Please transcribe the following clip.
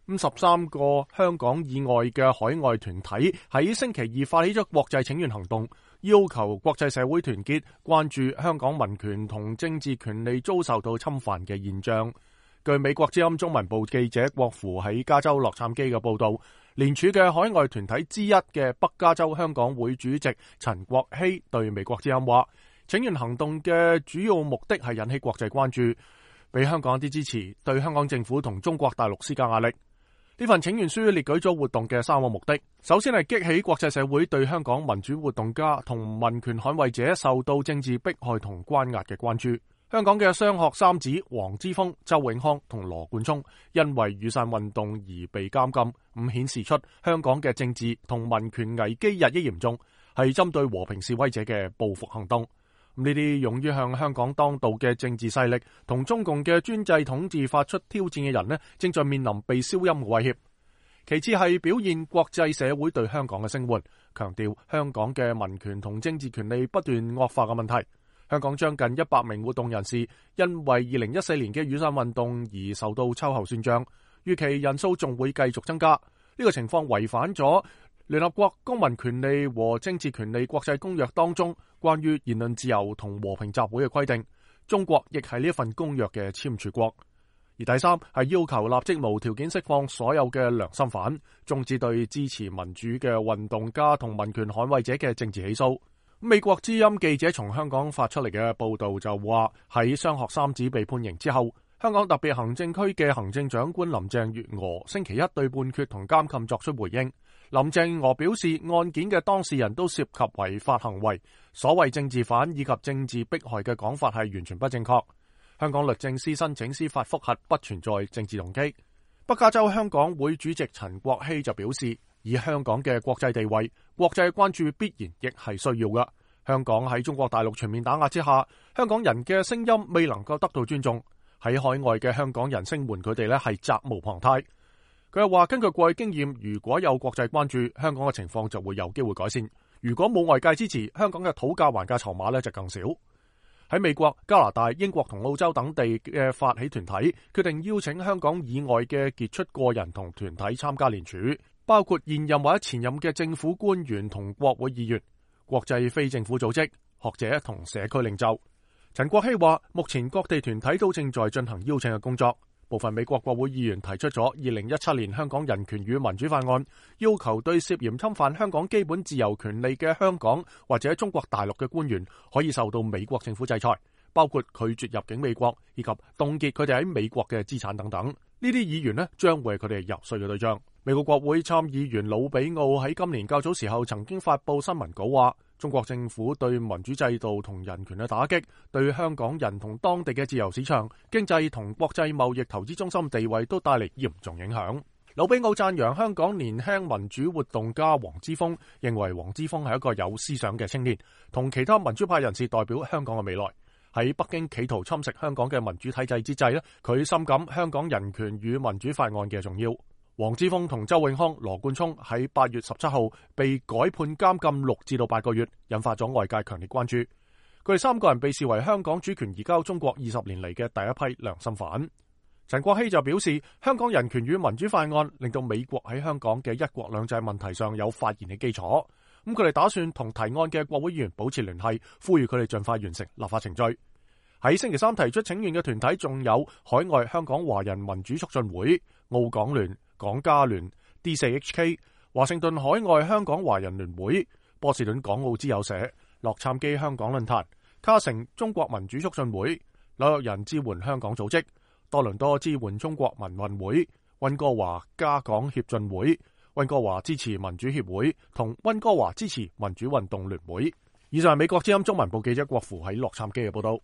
13個香港以外嘅海外團體喺星期二發起咗國際請願行動，要求國際社會團結，關注香港民權同政治權利遭受到侵犯嘅現象。據美國之音中文部記者郭芙喺加州洛杉磯嘅報道，聯署嘅海外團體之一嘅北加州香港會主席陳國希對美國之音話，請願行動嘅主要目的係引起國際關注，俾香港一啲支持，對香港政府同中國大陸施加壓力。呢份請願書列舉咗活動嘅3個目的，首先係激起國際社會對香港民主活動家同民權捍衛者受到政治迫害同關押嘅關注。香港嘅雙學三子黃之鋒、周永康同羅冠聰因為雨傘運動而被監禁，咁顯示出香港嘅政治同民權危機日益嚴重，係針對和平示威者嘅報復行動。呢啲勇於向香港當道嘅政治勢力同中共嘅專制統治發出挑戰嘅人呢，正在面臨被消音嘅威脅。其次係表現國際社會對香港嘅聲援，強調香港嘅民權同政治權利不斷惡化嘅問題。香港將近100名活動人士因為2014年嘅雨傘運動而受到秋後算賬，預期人數仲會繼續增加。呢個情況違反咗聯合國公民權利和政治權利國際公約當中關於言論自由同和平集會嘅規定，中國亦係呢一份公約嘅簽署國。而第三係要求立即無條件釋放所有嘅良心犯，終止對支持民主嘅運動家同民權捍衛者嘅政治起訴。美國之音記者從香港發出嚟嘅報道就話，喺雙學三子被判刑之後，香港特別行政區嘅行政長官林鄭月娥星期一對判決同監禁作出回應。林鄭月娥表示，案件嘅當事人都涉及違法行為，所謂政治犯以及政治迫害嘅講法係完全不正確。香港律政司申請司法覆核不存在政治動機。北加州香港會主席陳國希就表示，以香港嘅國際地位，國際關注必然亦係需要嘅。香港喺中國大陸全面打壓之下，香港人嘅聲音未能夠得到尊重，喺海外嘅香港人聲援佢哋呢係責無旁貸。佢又話，根據過去經驗，如果有國際關注，香港嘅情況就會有機會改善。如果冇外界支持，香港嘅討價還價籌碼呢就更少。喺美國、加拿大、英國同澳洲等地嘅發起團體決定邀請香港以外嘅傑出個人同團體參加聯署，包括現任或者前任嘅政府官員同國會議員、國際非政府組織、學者同社區領袖。陳國希話，目前各地團體都正在進行邀請嘅工作。部分美國國會議員提出咗2017年香港人權與民主法案，要求對涉嫌侵犯香港基本自由權利嘅香港或者中國大陸嘅官員可以受到美國政府制裁，包括拒絕入境美國以及凍結佢哋喺美國嘅資產等等。呢啲議員呢將會係佢哋遊說嘅對象。美國國會參議員魯比奧喺今年較早時候曾經發佈新聞稿話，中國政府對民主制度同人權嘅打擊，對香港人同當地嘅自由市場、經濟同國際貿易投資中心地位都帶嚟嚴重影響。魯比奧讚揚香港年輕民主活動家黃之鋒，認為黃之鋒係一個有思想嘅青年，同其他民主派人士代表香港嘅未來。喺北京企圖侵蝕香港嘅民主體制之際呢，佢深感香港人權與民主法案嘅重要。黃之鋒同周永康、羅冠聰喺8月17號被改判監禁6至8個月，引發咗外界強烈關注。佢哋3個人被視為香港主權移交中國20年嚟嘅第一批良心犯。陳國希就表示，香港人權與民主法案令到美國喺香港嘅一國兩制問題上有發言嘅基礎。咁佢哋打算同提案嘅國會議員保持聯繫，呼籲佢哋盡快完成立法程序。喺星期三提出請願嘅團體仲有海外香港華人民主促進會、澳港聯、港加聯、D4HK、華盛頓海外香港華人聯會、波士頓港澳之友社、洛杉磯香港論壇、卡城中國民主促進會、紐約人支援香港組織、多倫多支援中國民運會、溫哥華加港協進會、溫哥華支持民主協會同溫哥華支持民主運動聯會。以上係美國之音中文部記者郭芙喺洛杉磯嘅報道。